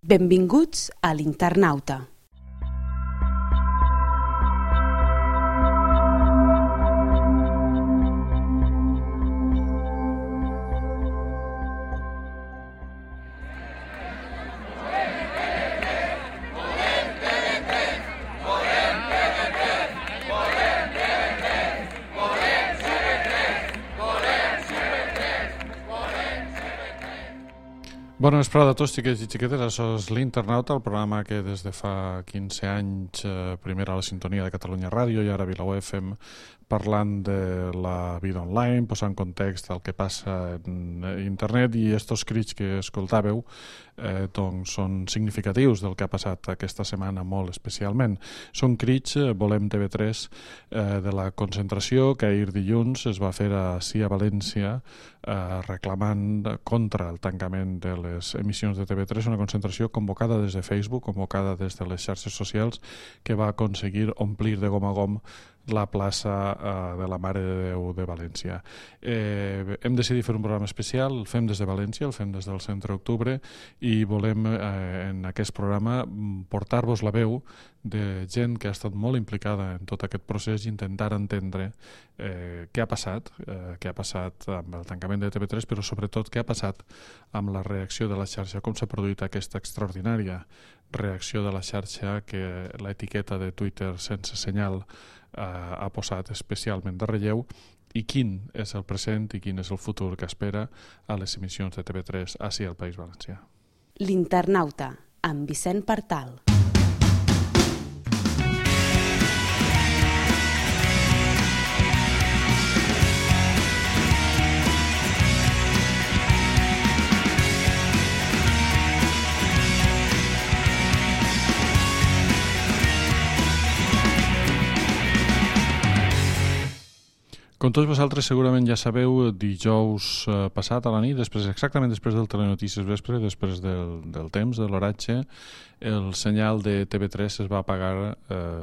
Benvinguts a l'Internauta. Bona vesprada a tots, xiquets i xiquetes. Això és l'Internauta, el programa que des de fa 15 anys, primer a la sintonia de Catalunya Ràdio i ara a VilaUE FM, parlant de la vida online, posant context al que passa en internet, i estos crits que escoltàveu doncs són significatius del que ha passat aquesta setmana molt especialment. Són crits, Volem TV3, de la concentració que ahir dilluns es va fer així a València, reclamant contra el tancament de les emissions de TV3, una concentració convocada des de Facebook, convocada des de les xarxes socials, que va aconseguir omplir de gom a gom la plaça de la Mare de Déu de València. Hem decidit fer un programa especial, el fem des de València, el fem des del Centre Octubre, i volem en aquest programa portar-vos la veu de gent que ha estat molt implicada en tot aquest procés i intentar entendre què ha passat amb el tancament de TV3, però sobretot què ha passat amb la reacció de la xarxa, com s'ha produït aquesta extraordinària reacció de la xarxa que l'etiqueta de Twitter sense senyal ha posat especialment de relleu, i quin és el present i quin és el futur que espera a les emissions de TV3 ací al País Valencià. L'Internauta, amb Vicent Partal. Com tots vosaltres segurament ja sabeu, dijous passat a la nit, exactament després del Telenotícies Vespre, després del temps, de l'oratge, el senyal de TV3 es va apagar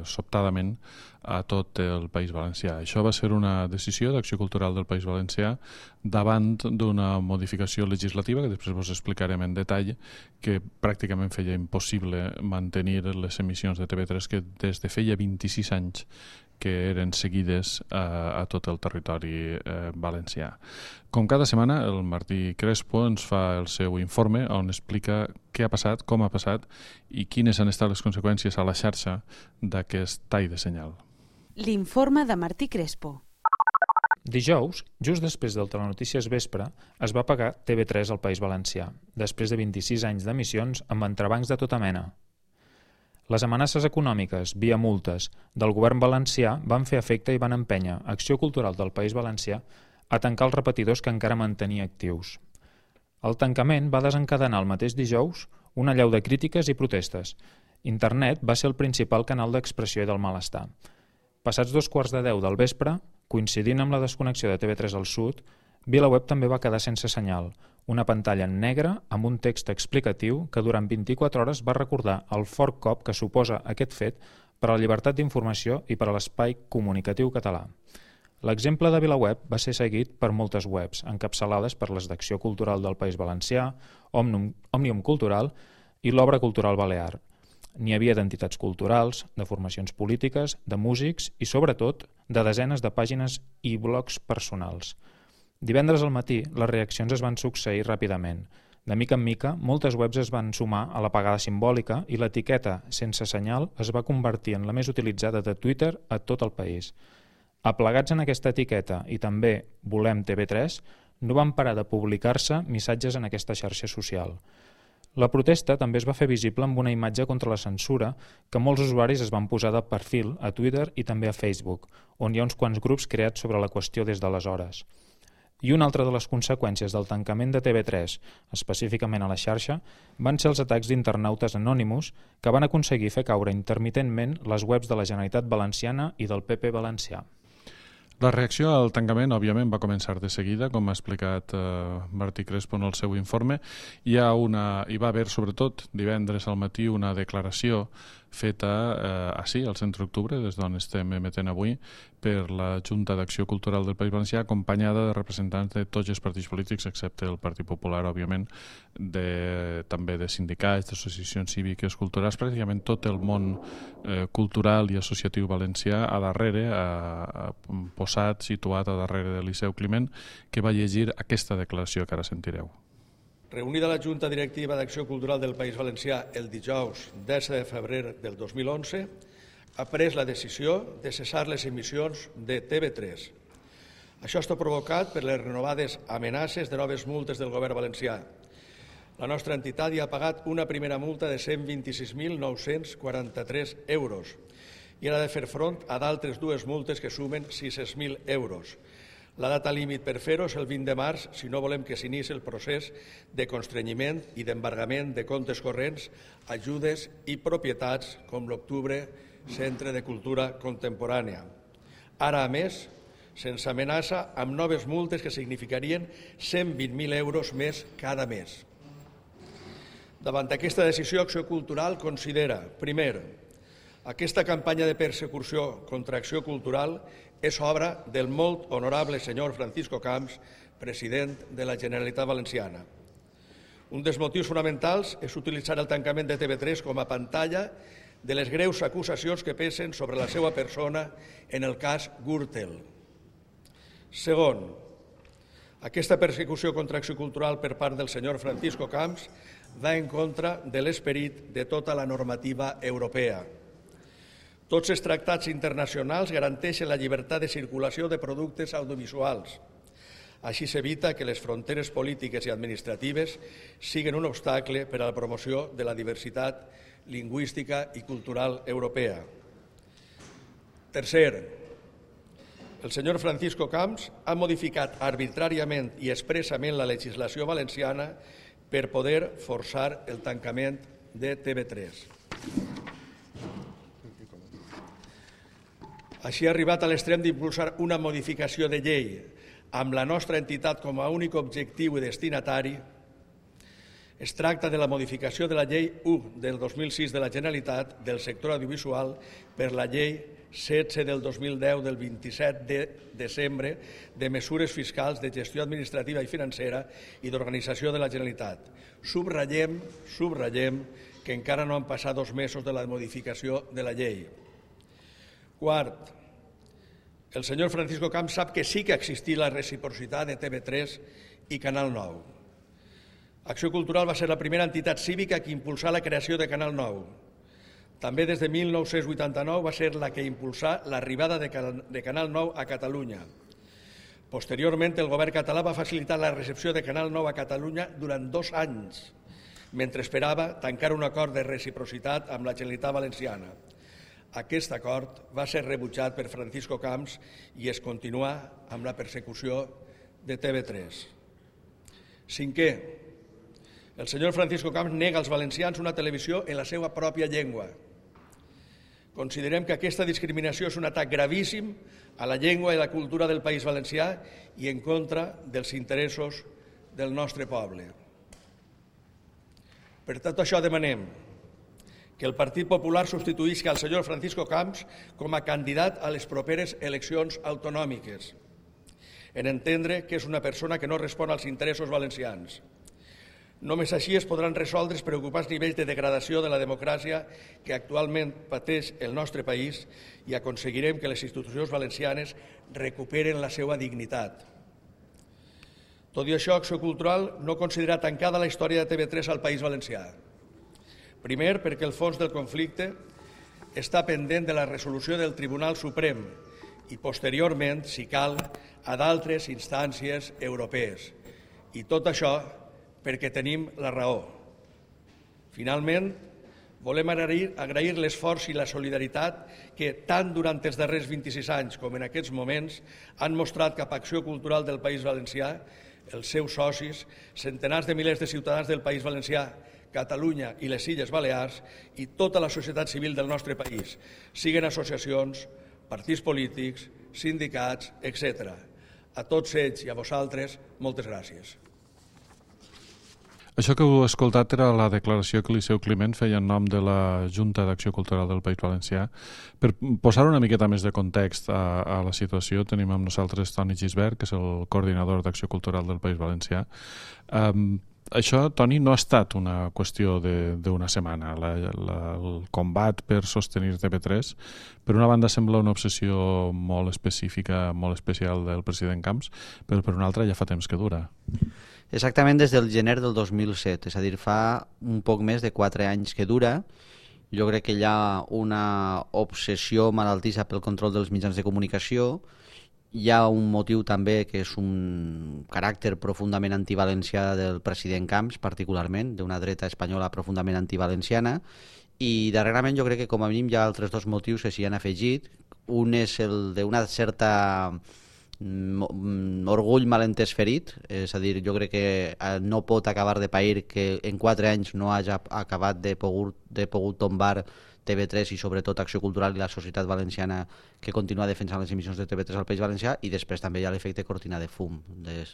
sobtadament a tot el País Valencià. Això va ser una decisió d'Acció Cultural del País Valencià davant d'una modificació legislativa, que després vos explicarem en detall, que pràcticament feia impossible mantenir les emissions de TV3 que des de feia 26 anys que eren seguides a tot el territori valencià. Com cada setmana, el Martí Crespo ens fa el seu informe on explica què ha passat, com ha passat i quines han estat les conseqüències a la xarxa d'aquest tall de senyal. L'informe de Martí Crespo. Dijous, just després del Telenotícies Vespre, es va apagar TV3 al País Valencià, després de 26 anys d'emissions amb entrebancs de tota mena. Les amenaces econòmiques, via multes, del govern valencià van fer efecte i van empènyer Acció Cultural del País Valencià a tancar els repetidors que encara mantenia actius. El tancament va desencadenar el mateix dijous una allau de crítiques i protestes. Internet va ser el principal canal d'expressió i del malestar. Passats 2:15 del vespre, coincidint amb la desconnexió de TV3 al sud, VilaWeb també va quedar sense senyal, una pantalla en negre amb un text explicatiu que durant 24 hores va recordar el fort cop que suposa aquest fet per a la llibertat d'informació i per a l'espai comunicatiu català. L'exemple de VilaWeb va ser seguit per moltes webs, encapçalades per les d'Acció Cultural del País Valencià, Òmnium Cultural i l'Obra Cultural Balear. N'hi havia d'entitats culturals, de formacions polítiques, de músics i, sobretot, de desenes de pàgines i blogs personals. Divendres al matí, les reaccions es van succeir ràpidament. De mica en mica, moltes webs es van sumar a l'apagada simbòlica i l'etiqueta sense senyal es va convertir en la més utilitzada de Twitter a tot el país. Aplegats en aquesta etiqueta i també Volem TV3, no van parar de publicar-se missatges en aquesta xarxa social. La protesta també es va fer visible amb una imatge contra la censura que molts usuaris es van posar de perfil a Twitter i també a Facebook, on hi ha uns quants grups creats sobre la qüestió des d'aleshores. I una altra de les conseqüències del tancament de TV3, específicament a la xarxa, van ser els atacs d'internautes anònims que van aconseguir fer caure intermitentment les webs de la Generalitat Valenciana i del PP valencià. La reacció al tancament, òbviament, va començar de seguida, com ha explicat Martí Crespo en el seu informe. Hi va haver, sobretot, divendres al matí una declaració feta així, al Centre d'Octubre, des d'on estem emetent avui, per la Junta d'Acció Cultural del País Valencià, acompanyada de representants de tots els partits polítics, excepte el Partit Popular, òbviament, també de sindicats, d'associacions cíviques, culturals, pràcticament tot el món cultural i associatiu valencià a darrere, posat, situat a darrere del Liceu Climent, que va llegir aquesta declaració que ara sentireu. Reunida la Junta Directiva d'Acció Cultural del País Valencià el dijous 10 de febrer del 2011, ha pres la decisió de cessar les emissions de TV3. Això està provocat per les renovades amenaces de noves multes del govern valencià. La nostra entitat ja ha pagat una primera multa de 126.943 euros i ha de fer front a d'altres dues multes que sumen 600.000 euros. La data límit per fer-ho és el 20 de març, si no volem que s'inici el procés de constrenyiment i d'embargament de comptes corrents, ajudes i propietats com l'Octubre Centre de Cultura Contemporània. Ara, a més, se'ns amenaça amb noves multes que significarien 120.000 euros més cada mes. Davant d'aquesta decisió, Acció Cultural considera, primer, aquesta campanya de persecució contra Acció Cultural és obra del molt honorable senyor Francisco Camps, president de la Generalitat Valenciana. Un dels motius fonamentals és utilitzar el tancament de TV3 com a pantalla de les greus acusacions que pesen sobre la seva persona en el cas Gürtel. Segon, aquesta persecució contra Acció Cultural per part del senyor Francisco Camps va en contra de l'esperit de tota la normativa europea. Tots els tractats internacionals garanteixen la llibertat de circulació de productes audiovisuals. Així s'evita que les fronteres polítiques i administratives siguin un obstacle per a la promoció de la diversitat lingüística i cultural europea. Tercer, el senyor Francisco Camps ha modificat arbitràriament i expressament la legislació valenciana per poder forçar el tancament de TV3. Així ha arribat a l'extrem d'impulsar una modificació de llei amb la nostra entitat com a únic objectiu i destinatari. Es tracta de la modificació de la llei 1 del 2006 de la Generalitat del sector audiovisual per la llei 16 del 2010 del 27 de desembre de mesures fiscals de gestió administrativa i financera i d'organització de la Generalitat. Subratllem que encara no han passat 2 mesos de la modificació de la llei. Quart, el senyor Francisco Camps sap que sí que existia la reciprocitat de TV3 i Canal 9. Acció Cultural va ser la primera entitat cívica que impulsà la creació de Canal 9. També des de 1989 va ser la que impulsà l'arribada de Canal 9 a Catalunya. Posteriorment, el govern català va facilitar la recepció de Canal 9 a Catalunya durant 2 anys, mentre esperava tancar un acord de reciprocitat amb la Generalitat Valenciana. Aquest acord va ser rebutjat per Francisco Camps i es continua amb la persecució de TV3. Cinquè, el senyor Francisco Camps nega als valencians una televisió en la seva pròpia llengua. Considerem que aquesta discriminació és un atac gravíssim a la llengua i la cultura del País Valencià i en contra dels interessos del nostre poble. Per tot això demanem que el Partit Popular substituïsca el senyor Francisco Camps com a candidat a les properes eleccions autonòmiques, en entendre que és una persona que no respon als interessos valencians. Només així es podran resoldre els preocupants nivells de degradació de la democràcia que actualment pateix el nostre país i aconseguirem que les institucions valencianes recuperen la seva dignitat. Tot i això, Acció Cultural no considera tancada la història de TV3 al País Valencià. Primer, perquè el fons del conflicte està pendent de la resolució del Tribunal Suprem i, posteriorment, si cal, a d'altres instàncies europees. I tot això perquè tenim la raó. Finalment, volem agrair l'esforç i la solidaritat que tant durant els darrers 26 anys com en aquests moments han mostrat cap a Acció Cultural del País Valencià, els seus socis, centenars de milers de ciutadans del País Valencià, Catalunya i les Illes Balears i tota la societat civil del nostre país, siguin associacions, partits polítics, sindicats, etc. A tots ells i a vosaltres, moltes gràcies. Això que heu escoltat era la declaració que Liceu Climent feia en nom de la Junta d'Acció Cultural del País Valencià. Per posar una miqueta més de context a la situació, tenim amb nosaltres Toni Gisbert, que és el coordinador d'Acció Cultural del País Valencià. Això, Toni, no ha estat una qüestió d'una setmana. El combat per sostenir TV3, per una banda, sembla una obsessió molt específica, molt especial del president Camps, però per una altra ja fa temps que dura. Exactament des del gener del 2007, és a dir, fa un poc més de 4 anys que dura. Jo crec que hi ha una obsessió malaltissa pel control dels mitjans de comunicació. Hi ha un motiu també que és un caràcter profundament antivalencià del president Camps, particularment, d'una dreta espanyola profundament antivalenciana, i darrerament jo crec que com a mínim hi ha altres dos motius que s'hi han afegit. Un és el d'una certa orgull malentès ferit, és a dir, jo crec que no pot acabar de pair que en 4 anys no hagi acabat de pogut tombar TV3 i sobretot Acció Cultural i la societat valenciana que continua defensant les emissions de TV3 al País Valencià, i després també hi ha l'efecte cortina de fum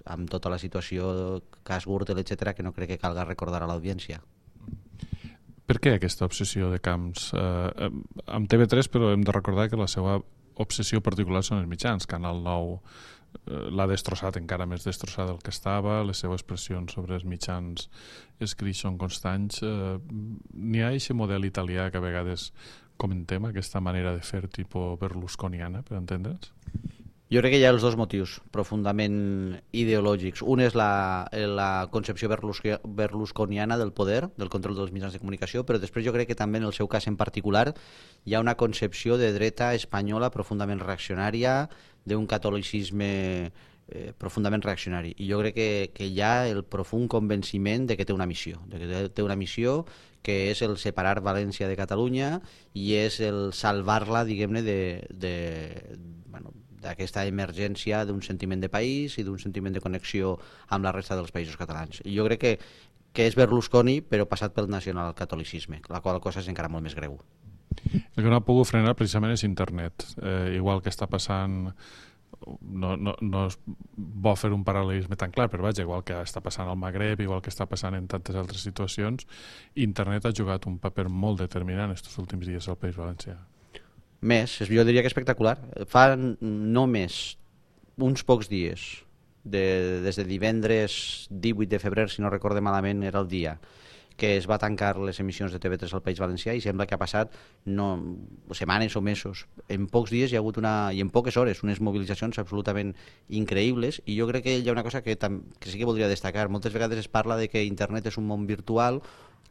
amb tota la situació, cas Gürtel, etc., que no crec que calga recordar a l'audiència. Per què aquesta obsessió de Camps amb TV3? Però hem de recordar que la seva obsessió particular són els mitjans. Canal 9 l'ha destrossat, encara més destrossat del que estava, les seves pressions sobre els mitjans escrits són constants. N'hi ha aquest model italià que a vegades comentem, aquesta manera de fer tipus berlusconiana, per entendre'ns? Jo crec que hi ha els dos motius profundament ideològics. Un és la concepció berlusconiana del poder, del control dels mitjans de comunicació, però després jo crec que també en el seu cas en particular hi ha una concepció de dreta espanyola profundament reaccionària, d'un catolicisme profundament reaccionari. I jo crec que hi ha el profund convenciment de que té una missió, que és el separar València de Catalunya i és el salvar-la, diguem-ne, d'aquesta emergència d'un sentiment de país i d'un sentiment de connexió amb la resta dels països catalans. I jo crec que és Berlusconi, però passat pel nacionalcatolicisme, la qual cosa és encara molt més greu. El que no ha pogut frenar precisament és internet. Igual que està passant, no es bo fer un paral·lelisme tan clar, però vaja, igual que està passant al Magreb, igual que està passant en tantes altres situacions, internet ha jugat un paper molt determinant estos últims dies al País Valencià. Més, jo diria que espectacular. Fa només uns pocs dies, des de divendres 18 de febrer, si no recorde malament, era el dia que es va tancar les emissions de TV3 al País Valencià, i sembla que ha passat setmanes o mesos. En pocs dies hi ha hagut i en poques hores, unes mobilitzacions absolutament increïbles, i jo crec que hi ha una cosa que sí que voldria destacar. Moltes vegades es parla de que internet és un món virtual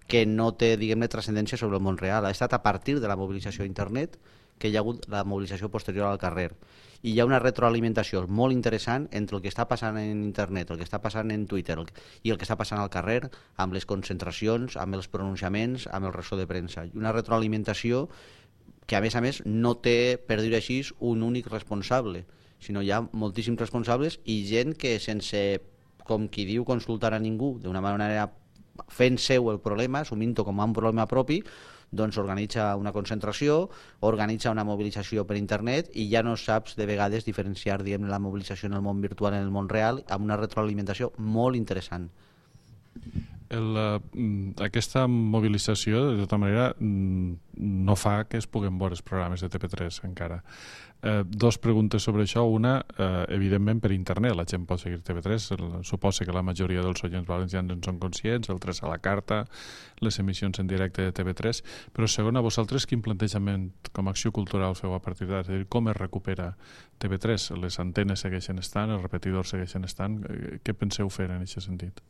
que no té, diguem-ne, transcendència sobre el món real. Ha estat a partir de la mobilització a internet que hi ha hagut la mobilització posterior al carrer. I hi ha una retroalimentació molt interessant entre el que està passant en internet, el que està passant en Twitter i el que està passant al carrer, amb les concentracions, amb els pronunciaments, amb el ressò de premsa. I una retroalimentació que, a més, no té, per dir-ho així, un únic responsable, sinó hi ha moltíssims responsables i gent que sense, com qui diu, consultar a ningú, d'una manera fent seu el problema, assumint-ho com un problema propi, doncs organitza una concentració, organitza una mobilització per internet, i ja no saps de vegades diferenciar, diguem, la mobilització en el món virtual i en el món real, amb una retroalimentació molt interessant. Aquesta mobilització, de tota manera, no fa que es puguen veure els programes de TV3 encara. Dos preguntes sobre això. Una, evidentment per internet la gent pot seguir TV3, suposa que la majoria dels oients valencians en són conscients, el 3 a la carta, les emissions en directe de TV3, però segona, vosaltres quin plantejament com a Acció Cultural feu a partir d'ara? És a dir, com es recupera TV3? Les antenes segueixen estant, els repetidors segueixen estant, què penseu fer en aquest sentit?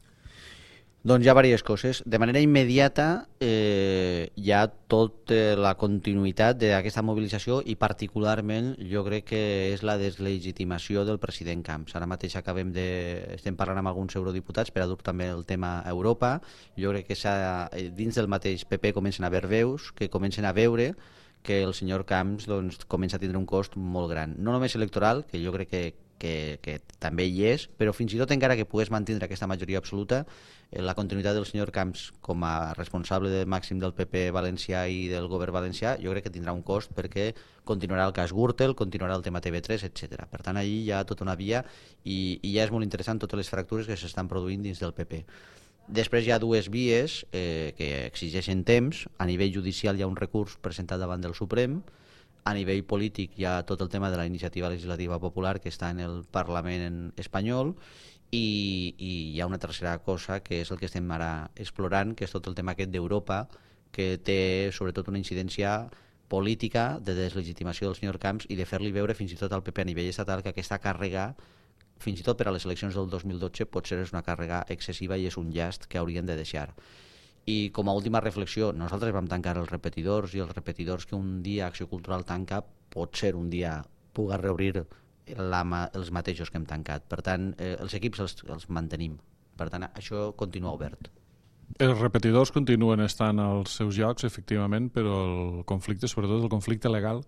Doncs hi ha diverses coses. De manera immediata hi ha tota la continuïtat d'aquesta mobilització, i particularment jo crec que és la deslegitimació del president Camps. Ara mateix estem parlant amb alguns eurodiputats per a dur també el tema a Europa. Jo crec que dins del mateix PP comencen a haver veus que comencen a veure que el senyor Camps comença a tindre un cost molt gran. No només electoral, que jo crec que també hi és, però fins i tot encara que pogués mantenir aquesta majoria absoluta, la continuïtat del senyor Camps com a responsable màxim del PP valencià i del govern valencià, jo crec que tindrà un cost, perquè continuarà el cas Gürtel, continuarà el tema TV3, etc. Per tant, allí hi ha tota una via, i ja és molt interessant totes les fractures que s'estan produint dins del PP. Després hi ha dues vies que exigeixen temps. A nivell judicial hi ha un recurs presentat davant del Suprem. A nivell polític hi ha tot el tema de la iniciativa legislativa popular que està en el Parlament espanyol i hi ha una tercera cosa que és el que estem ara explorant, que és tot el tema aquest d'Europa, que té sobretot una incidència política de deslegitimació del senyor Camps i de fer-li veure fins i tot al PP a nivell estatal que aquesta càrrega, fins i tot per a les eleccions del 2012, potser és una càrrega excessiva i és un llast que haurien de deixar. I com a última reflexió, nosaltres vam tancar els repetidors i els repetidors que un dia Acció Cultural tanca, potser un dia puga reobrir els mateixos que hem tancat. Per tant, els equips els mantenim. Per tant, això continua obert. Els repetidors continuen estant als seus llocs, efectivament, però el conflicte, sobretot el conflicte legal,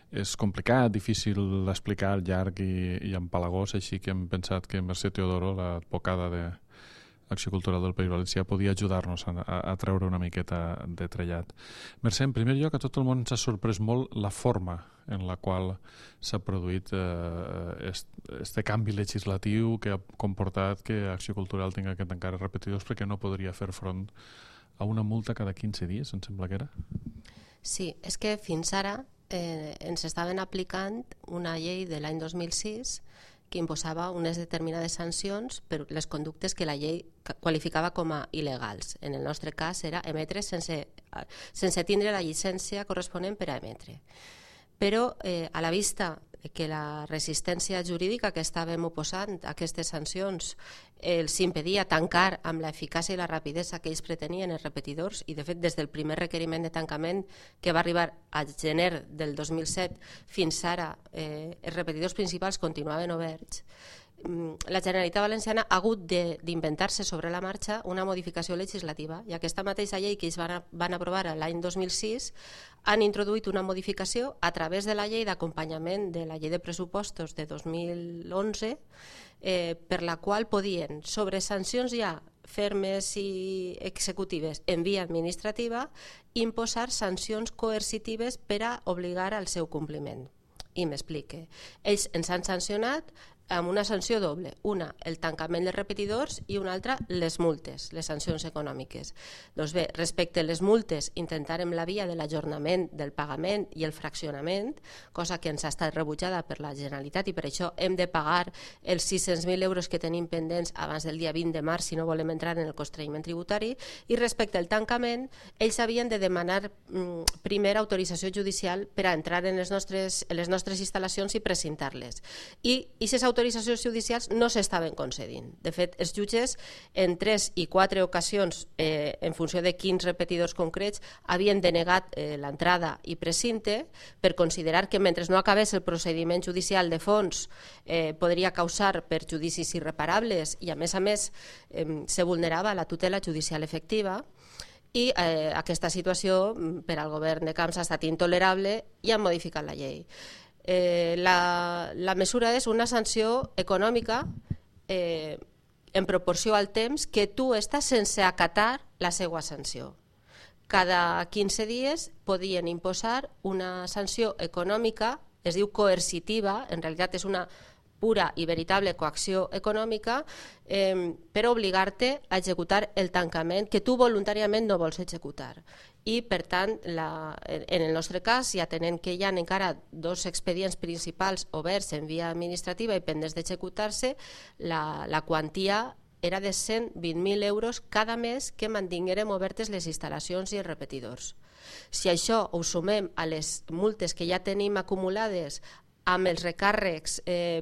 és complicat, difícil d'explicar, llarg i empalagós, així que hem pensat que Mercè Teodoro, l'advocada d'Acció Cultural del País Valencià, podia ajudar-nos a treure una miqueta de trellat. Mercè, en primer lloc, a tot el món s'ha sorprès molt la forma en la qual s'ha produït este canvi legislatiu que ha comportat que Acció Cultural tinga que tancar els repetidors perquè no podria fer front a una multa cada 15 dies, em sembla que era? Sí, és que fins ara ens estaven aplicant una llei de l'any 2006 que imposava unes determinades sancions per les conductes que la llei qualificava com a il·legals. En el nostre cas era emetre sense tindre la llicència corresponent per a emetre. Però a la vista que la resistència jurídica que estàvem oposant a aquestes sancions els impedia tancar amb l'eficàcia i la rapidesa que ells pretenien els repetidors, i de fet des del primer requeriment de tancament que va arribar a gener del 2007 fins ara els repetidors principals continuaven oberts, la Generalitat Valenciana ha hagut d'inventar-se sobre la marxa una modificació legislativa, i aquesta mateixa llei que ells van aprovar l'any 2006 han introduït una modificació a través de la llei d'acompanyament de la llei de pressupostos de 2011 per la qual podien, sobre sancions ja fermes i executives en via administrativa, imposar sancions coercitives per a obligar al seu compliment. I m'explique. Ells ens han sancionat amb una sanció doble, una el tancament dels repetidors i una altra les multes, les sancions econòmiques. Doncs bé, respecte a les multes intentarem la via de l'ajornament del pagament i el fraccionament, cosa que ens ha estat rebutjada per la Generalitat i per això hem de pagar els 600.000 euros que tenim pendents abans del dia 20 de març si no volem entrar en el constrenyiment tributari, i respecte al tancament ells havien de demanar primer autorització judicial per a entrar en les nostres instal·lacions i precintar-les. I aquestes autoritzacions judicials no s'estaven concedint. De fet, els jutges en 3 i 4 ocasions, en funció de quins repetidors concrets, havien denegat l'entrada i precinte per considerar que mentre no acabés el procediment judicial de fons podria causar perjudicis irreparables i a més se vulnerava la tutela judicial efectiva. I aquesta situació per al govern de Camps ha estat intolerable i han modificat la llei. La mesura és una sanció econòmica en proporció al temps que tu estàs sense acatar la seva sanció. Cada 15 dies podien imposar una sanció econòmica, es diu coercitiva, en realitat és una pura i veritable coacció econòmica per obligar-te a executar el tancament que tu voluntàriament no vols executar. I per tant, en el nostre cas, i atenent que hi ha encara 2 expedients principals oberts en via administrativa i pendents d'executar-se, la quantia era de 120.000 euros cada mes que mantinguérem obertes les instal·lacions i els repetidors. Si això ho sumem a les multes que ja tenim acumulades amb els recàrrecs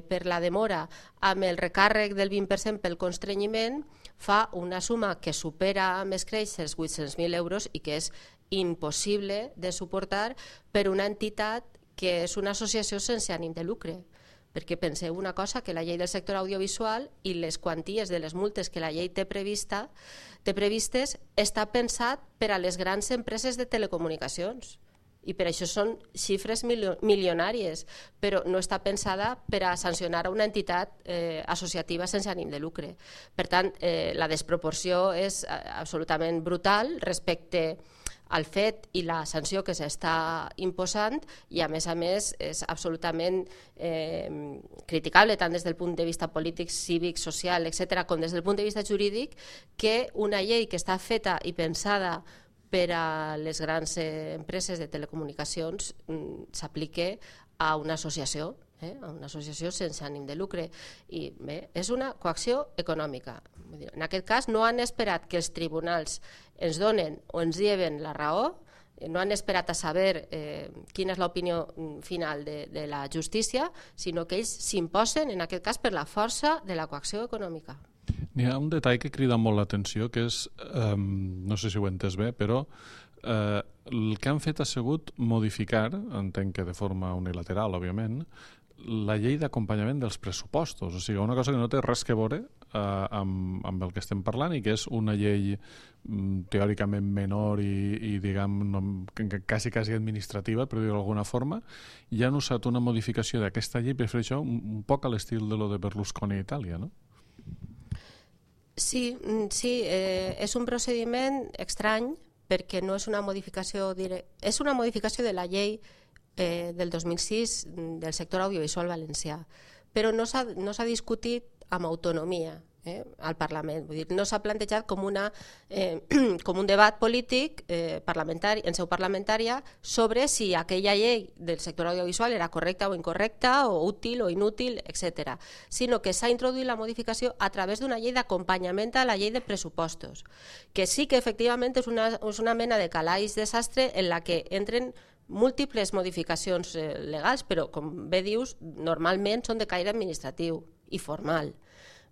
per la demora, amb el recàrrec del 20% pel constrenyiment, fa una suma que supera més creix els 800.000 euros i que és impossible de suportar per una entitat que és una associació sense ànim de lucre. Perquè penseu una cosa, que la llei del sector audiovisual i les quanties de les multes que la llei té previstes està pensat per a les grans empreses de telecomunicacions. I per això són xifres milionàries, però no està pensada per a sancionar a una entitat associativa sense ànim de lucre. Per tant, la desproporció és absolutament brutal respecte el fet i la sanció que s'està imposant, i a més és absolutament criticable tant des del punt de vista polític, cívic, social, etc., com des del punt de vista jurídic, que una llei que està feta i pensada per a les grans empreses de telecomunicacions s'aplique a una associació, a una associació sense ànim de lucre. I bé, és una coacció econòmica. En aquest cas no han esperat que els tribunals ens donen o ens lleven la raó, no han esperat a saber quina és l'opinió final de la justícia, sinó que ells s'imposen, en aquest cas, per la força de la coacció econòmica. N'hi ha un detall que crida molt l'atenció, que és, no sé si ho he entès bé, però el que han fet ha sigut modificar, entenc que de forma unilateral, òbviament, la llei d'acompanyament dels pressupostos. O sigui, una cosa que no té res que veure amb el que estem parlant i que és una llei teòricament menor i diguem, quasi administrativa, per dir-ho d'alguna forma, i han usat una modificació d'aquesta llei per fer això un poc a l'estil de lo de Berlusconi a Itàlia, no? Sí, és un procediment estrany perquè no és una modificació és una modificació de la llei del 2006 del sector audiovisual valencià, però no s'ha discutit amb autonomia al Parlament. Vull dir, no s'ha plantejat com un debat polític parlamentari, en seu parlamentària, sobre si aquella llei del sector audiovisual era correcta o incorrecta, o útil o inútil, etc. Sinó que s'ha introduït la modificació a través d'una llei d'acompanyament a la llei de pressupostos, que sí que efectivament és una mena de calaix de sastre en la que entren múltiples modificacions legals, però, com bé dius, normalment són de caire administratiu i formal.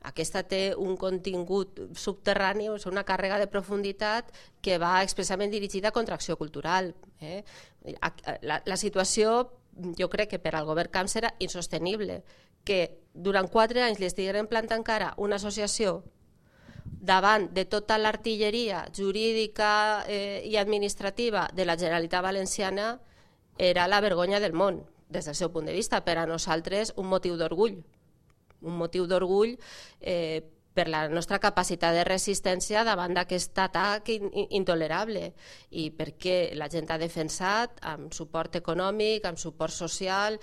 Aquesta té un contingut subterrani, és una càrrega de profunditat que va expressament dirigida contra acció cultural. La situació, jo crec que per al govern Camps era insostenible, que durant 4 anys li estigueren plantant cara una associació davant de tota l'artilleria jurídica i administrativa de la Generalitat Valenciana era la vergonya del món, des del seu punt de vista. Per a nosaltres un motiu d'orgull per la nostra capacitat de resistència davant d'aquest atac intolerable, i perquè la gent ha defensat amb suport econòmic, amb suport social.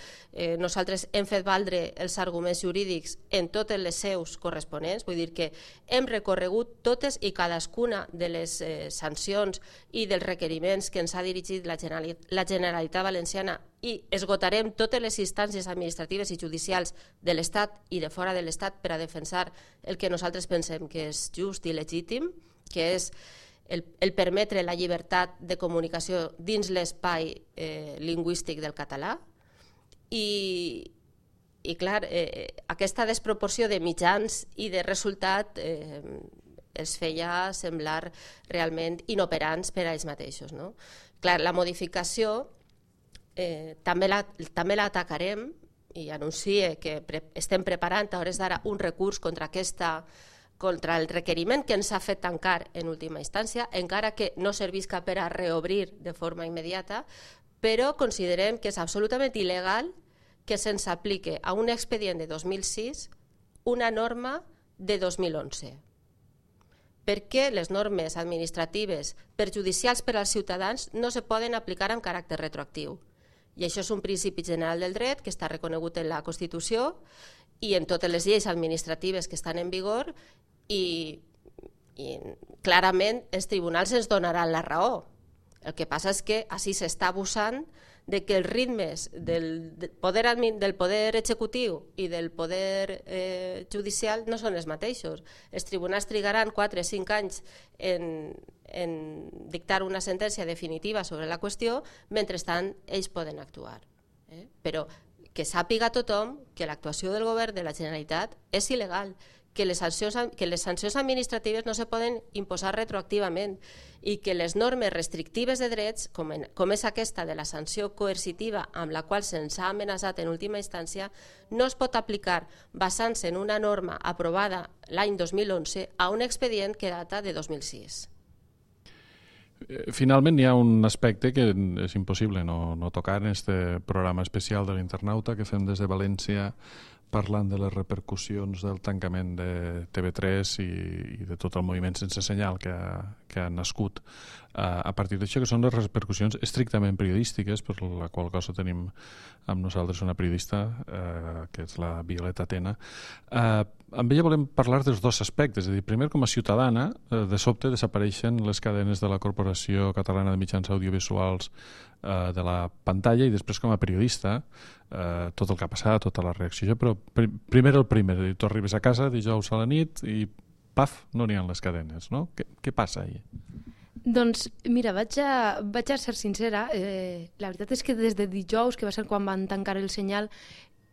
Nosaltres hem fet valdre els arguments jurídics en totes les seus corresponents, vull dir que hem recorregut totes i cadascuna de les sancions i dels requeriments que ens ha dirigit la Generalitat Valenciana, i esgotarem totes les instàncies administratives i judicials de l'Estat i de fora de l'Estat per a defensar el que nosaltres pensem que és just i legítim, que és el permetre la llibertat de comunicació dins l'espai lingüístic del català. I clar, aquesta desproporció de mitjans i de resultat els feia semblar realment inoperants per a ells mateixos. Clar, la modificació també l'atacarem, i anuncie que estem preparant a hores d'ara un recurs contra el requeriment que ens ha fet tancar en última instància, encara que no servisca per a reobrir de forma immediata, però considerem que és absolutament il·legal que se'ns aplique a un expedient de 2006 una norma de 2011. Perquè les normes administratives perjudicials per als ciutadans no se poden aplicar amb caràcter retroactiu. I això és un principi general del dret que està reconegut en la Constitució i en totes les lleis administratives que estan en vigor, i clarament els tribunals ens donaran la raó. El que passa és que així s'està abusant de que els ritmes del poder executiu i del poder judicial no són els mateixos. Els tribunals trigaran 4 o 5 anys en dictar una sentència definitiva sobre la qüestió, mentrestant ells poden actuar. Però que sàpiga tothom que l'actuació del govern de la Generalitat és il·legal, que les sancions administratives no se poden imposar retroactivament i que les normes restrictives de drets, com és aquesta de la sanció coercitiva amb la qual se'ns ha amenaçat en última instància, no es pot aplicar basant-se en una norma aprovada l'any 2011 a un expedient que data de 2006. Finalment, hi ha un aspecte que és impossible no tocar en aquest programa especial de l'Internauta que fem des de València parlant de les repercussions del tancament de TV3 i de tot el moviment sense senyal que ha nascut a partir d'això, que són les repercussions estrictament periodístiques, per la qual cosa tenim amb nosaltres una periodista, que és la Violeta Tena. Amb ella volem parlar dels dos aspectes. És a dir, primer, com a ciutadana, de sobte desapareixen les cadenes de la Corporació Catalana de Mitjans Audiovisuals de la pantalla, i després com a periodista, tot el que ha passat, tota la reacció. Però primer el primer, tu arribes a casa dijous a la nit i paf, no n'hi ha les cadenes, no? Què passa ahir? Doncs mira, vaig a ser sincera, la veritat és que des de dijous, que va ser quan van tancar el senyal,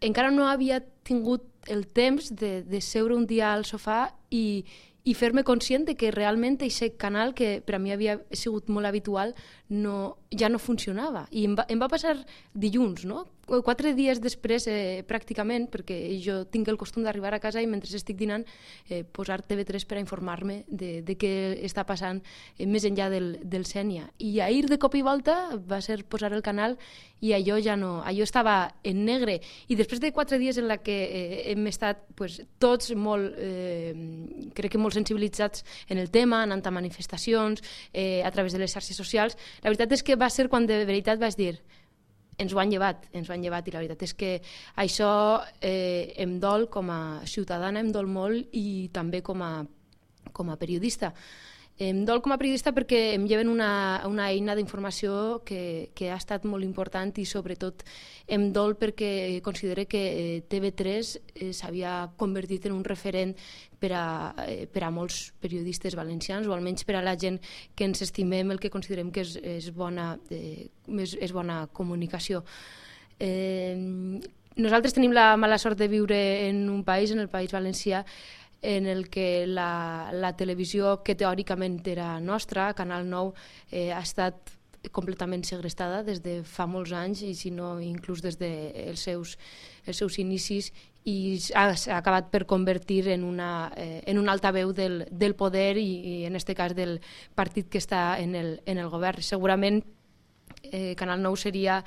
encara no havia tingut el temps de seure un dia al sofà i fer-me conscient de que realment aquest canal, que per a mi havia sigut molt habitual, ja no funcionava. I em va passar dilluns, no? 4 dies després, pràcticament, perquè jo tinc el costum d'arribar a casa i mentre estic dinant posar TV3 per a informar-me de què està passant més enllà del Sénia. I ahir de cop i volta va ser posar el canal i allò ja no, allò estava en negre. I després de 4 dies en la que hem estat tots molt, crec que molt sensibilitzats en el tema, anant a manifestacions, a través de les xarxes socials, la veritat és que va ser quan de veritat vaig dir ens ho han llevat, i la veritat és que això em dol com a ciutadana, em dol molt, i també com a periodista. Em dol com a periodista perquè em lleven una eina d'informació que ha estat molt important, i sobretot em dol perquè considero que TV3 s'havia convertit en un referent per a molts periodistes valencians, o almenys per a la gent que ens estimem el que considerem que és bona comunicació. Nosaltres tenim la mala sort de viure en un país, en el País Valencià, en el que la televisió, que teòricament era nostra, Canal 9, ha estat completament segrestada des de fa molts anys, i si no inclús des dels seus inicis, i s'ha acabat per convertir en un altaveu del poder, i en aquest cas del partit que està en el govern. Segurament Canal 9 seria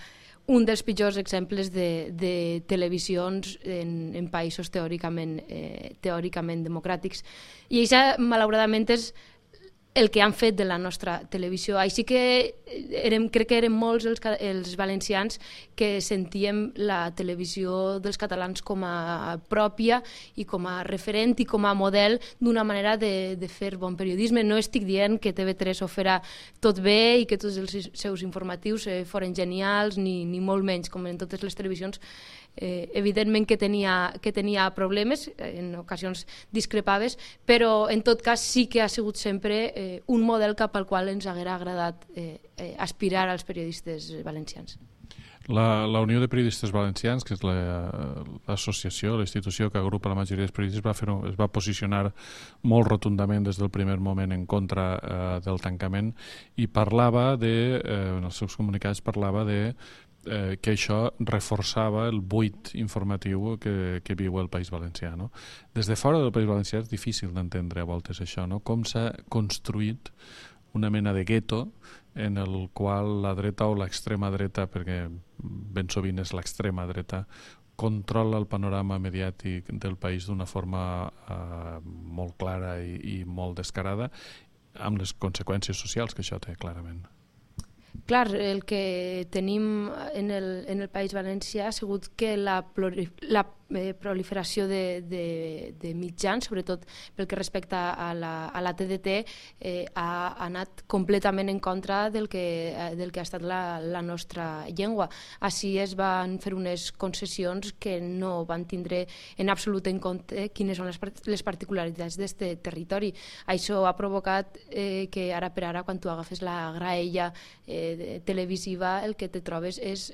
un dels pitjors exemples de televisions en països teòricament democràtics. I això, malauradament, és el que han fet de la nostra televisió. Així que crec que érem molts els valencians que sentíem la televisió dels catalans com a pròpia i com a referent i com a model d'una manera de fer bon periodisme. No estic dient que TV3 ho farà tot bé i que tots els seus informatius foren genials, ni molt menys, com en totes les televisions. Evidentment que tenia problemes, en ocasions discrepaves, però en tot cas sí que ha sigut sempre un model cap al qual ens haguera agradat aspirar als periodistes valencians. La Unió de Periodistes Valencians, que és l'associació, la institució que agrupa la majoria dels periodistes, es va posicionar molt rotundament des del primer moment en contra del tancament, i en els seus comunicats parlava que això reforçava el buit informatiu que viu el País Valencià. No? Des de fora del País Valencià és difícil d'entendre a voltes això, no? Com s'ha construït una mena de gueto en el qual la dreta o l'extrema dreta, perquè ben sovint és l'extrema dreta, controla el panorama mediàtic del país d'una forma molt clara i molt descarada, amb les conseqüències socials que això té, clarament. Clar, el que tenim en el País Valencià ha sigut que la proliferació de mitjans, sobretot pel que respecta a la TDT, ha anat completament en contra del que ha estat la nostra llengua. Així es van fer unes concessions que no van tindre en absolut en compte quines són les particularitats d'aquest territori. Això ha provocat que ara per ara, quan tu agafes la graella televisiva, el que te trobes és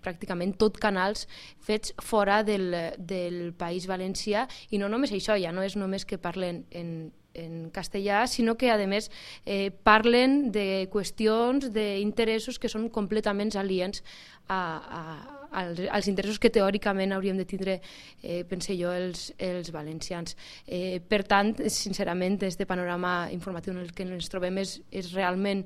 pràcticament tot canals fets fora del País Valencià, i no només això, ja no és només que parlen en castellà, sinó que a més parlen de qüestions, d'interessos que són completament aliens a als interessos que teòricament hauríem de tindre, pense jo, els valencians. Per tant, sincerament, este panorama informatiu en el que ens trobem és realment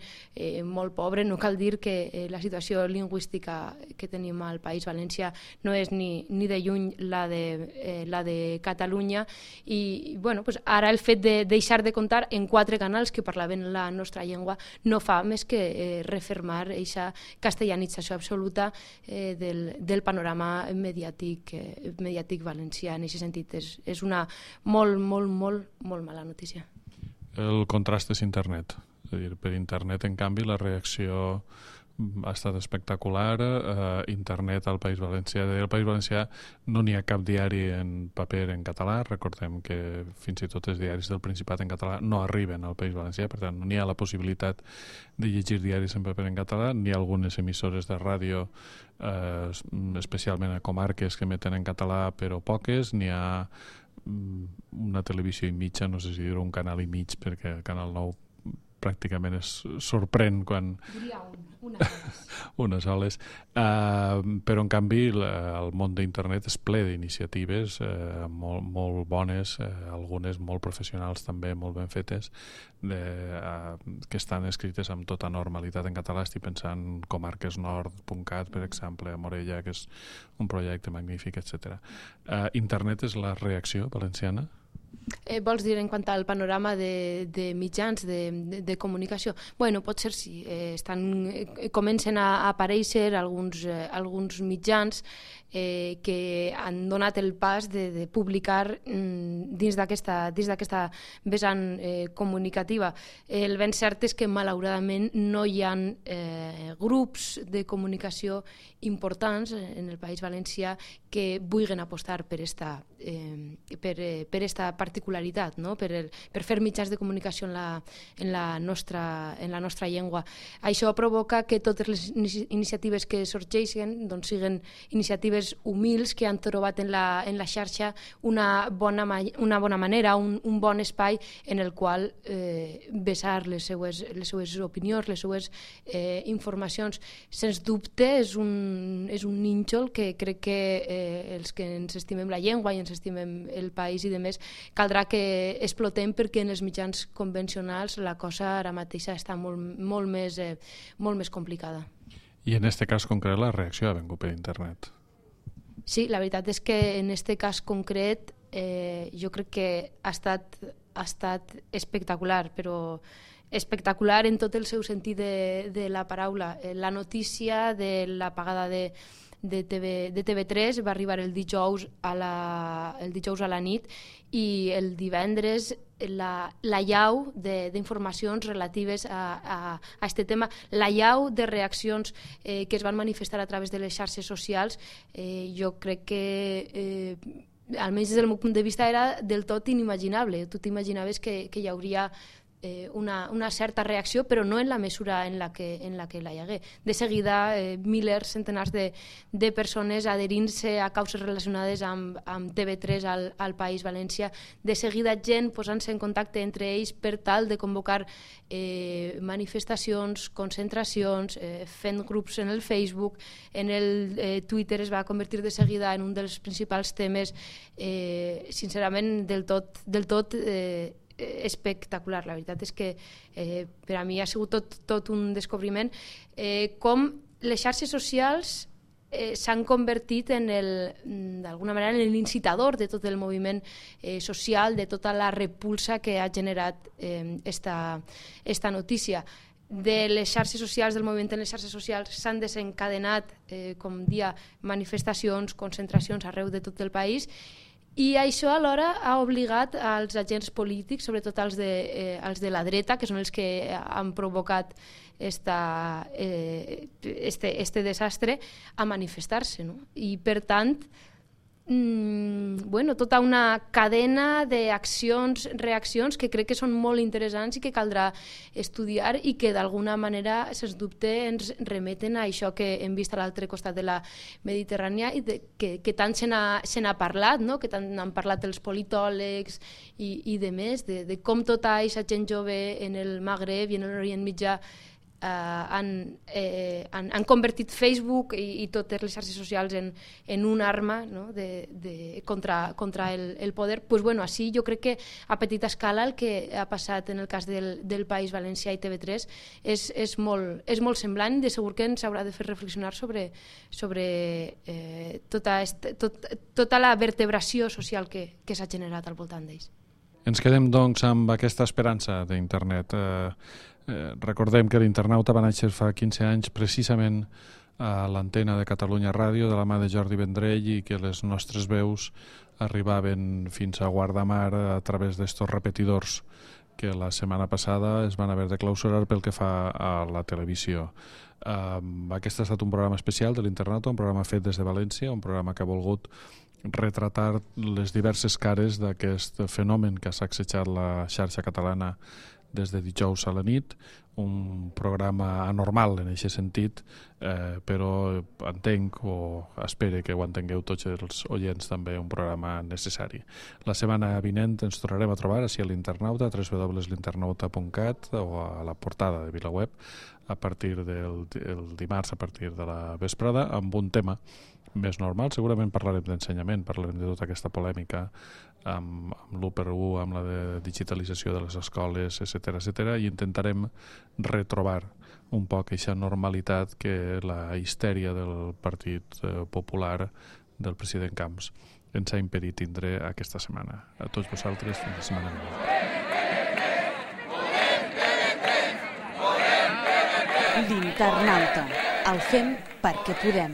molt pobre. No cal dir que la situació lingüística que tenim al País Valencià no és ni de lluny la de Catalunya, i bueno, pues ara el fet de deixar de comptar en 4 canals que parlaven la nostra llengua no fa més que refermar aquesta castellanització absoluta del panorama mediàtic valencià. En aquest sentit és una molt mala notícia. El contrast és internet. És a dir, per internet, en canvi, la reacció ha estat espectacular. Internet al País Valencià. Al País Valencià no n'hi ha cap diari en paper en català. Recordem que fins i tot els diaris del Principat en català no arriben al País Valencià, per tant no n'hi ha la possibilitat de llegir diaris en paper en català. N'hi ha algunes emissores de ràdio, especialment a comarques, que emeten en català, però poques. N'hi ha una televisió i mitja, no sé si dir un canal i mig, perquè el Canal 9 pràcticament es sorprèn quan... unes soles. Però, en canvi, el món d'internet és ple d'iniciatives molt bones, algunes molt professionals també, molt ben fetes, que estan escrites amb tota normalitat en català. Estic pensant en comarquesnord.cat, per exemple, a Morella, que és un projecte magnífic, etc. Internet és la reacció valenciana? Vols dir en quant al panorama de mitjans de comunicació? Bueno, potser sí. Comencen a aparèixer alguns mitjans que han donat el pas de publicar dins d'aquesta vessant comunicativa. El ben cert és que, malauradament, no hi ha grups de comunicació importants en el País Valencià que vulguin apostar per esta particularitat, no? per fer mitjans de comunicació en la nostra llengua. Això provoca que totes les iniciatives que sorgeixen doncs siguin iniciatives humils que han trobat en la xarxa una bona manera, un bon espai en el qual vessar les seues opinions, les seues informacions. Sens dubte és un nínxol que crec que els que ens estimem la llengua i ens estimem el país i demés caldrà que explotem, perquè en els mitjans convencionals la cosa ara mateix està molt més complicada. I en aquest cas concret la reacció ha vingut per internet? Sí, la veritat és que en aquest cas concret jo crec que ha estat espectacular, però espectacular en tot el seu sentit de la paraula. La notícia de l'apagada de TV3 va arribar el dijous a la nit, i el divendres la llau d'informacions relatives a aquest tema, la llau de reaccions que es van manifestar a través de les xarxes socials, jo crec que almenys des del meu punt de vista era del tot inimaginable. Tu t'imaginaves que hi hauria una certa reacció, però no en la mesura en la que la hi hagué. De seguida, milers, centenars de persones adherint-se a causes relacionades amb TV3 al País Valencià. De seguida, gent posant-se en contacte entre ells per tal de convocar manifestacions, concentracions, fent grups en el Facebook. En el Twitter es va convertir de seguida en un dels principals temes, sincerament, del tot espectacular. La veritat és que per a mi ha sigut tot un descobriment com les xarxes socials s'han convertit d'alguna manera en l'incitador de tot el moviment social, de tota la repulsa que ha generat esta notícia. De les xarxes socials, del moviment en les xarxes socials, s'han desencadenat, com dia, manifestacions, concentracions arreu de tot el país, i això alhora ha obligat als agents polítics, sobretot els de la dreta, que són els que han provocat este desastre, a manifestar-se, no? I per tant, tota una cadena d'accions, reaccions que crec que són molt interessants i que caldrà estudiar i que d'alguna manera, sens dubte, ens remeten a això que hem vist a l'altre costat de la Mediterrània i que tant se n'ha parlat, no? Que tant han parlat els politòlegs i de més, de com tota aquesta gent jove en el Magreb i en l'Orient Mitjà han convertit Facebook i totes les xarxes socials en una arma, no? contra el poder. Pues bueno, així jo crec que a petita escala el que ha passat en el cas del País Valencià i TV3 és molt semblant, de segur que ens haurà de fer reflexionar sobre tota la vertebració social que s'ha generat al voltant d'ells. Ens quedem, doncs, amb aquesta esperança d'internet. Recordem que l'Internauta va néixer fa 15 anys precisament a l'antena de Catalunya Ràdio de la mà de Jordi Vendrell i que les nostres veus arribaven fins a Guardamar a través d'estos repetidors que la setmana passada es van haver de clausurar pel que fa a la televisió. Aquest ha estat un programa especial de l'Internauta, un programa fet des de València, un programa que ha volgut retratar les diverses cares d'aquest fenomen que ha sacsejat la xarxa catalana des de dijous a la nit, un programa anormal en aquest sentit, però entenc o espero que ho entengueu tots els oients també, un programa necessari. La setmana vinent ens tornarem a trobar així a l'Internauta, www.l'internauta.cat o a la portada de VilaWeb a partir del dimarts, a partir de la vesprada, amb un tema més normal. Segurament parlarem d'ensenyament, parlarem de tota aquesta polèmica amb l'1x1, amb la de digitalització de les escoles, etc., i intentarem retrobar un poc aquesta normalitat que la histèria del Partit Popular del president Camps ens ha impedit tindre aquesta setmana. A tots vosaltres, fins la setmana vinent. L'Internauta. El fem perquè podem.